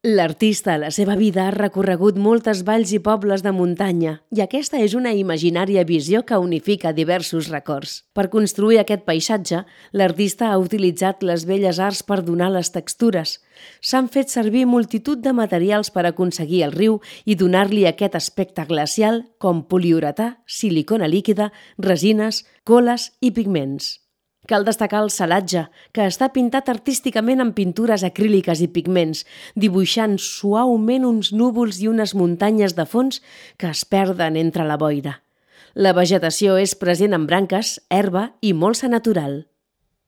L'artista a la seva vida ha recorregut moltes valls i pobles de muntanya i aquesta és una imaginària visió que unifica diversos records. Per construir aquest paisatge, l'artista ha utilitzat les belles arts per donar les textures. S'han fet servir multitud de materials per aconseguir el riu i donar-li aquest aspecte glacial com poliuretà, silicona líquida, resines, coles i pigments. Cal destacar el salatge, que està pintat artísticament amb pintures acríliques i pigments, dibuixant suaument uns núvols i unes muntanyes de fons que es perden entre la boira. La vegetació és present en branques, herba i molsa natural.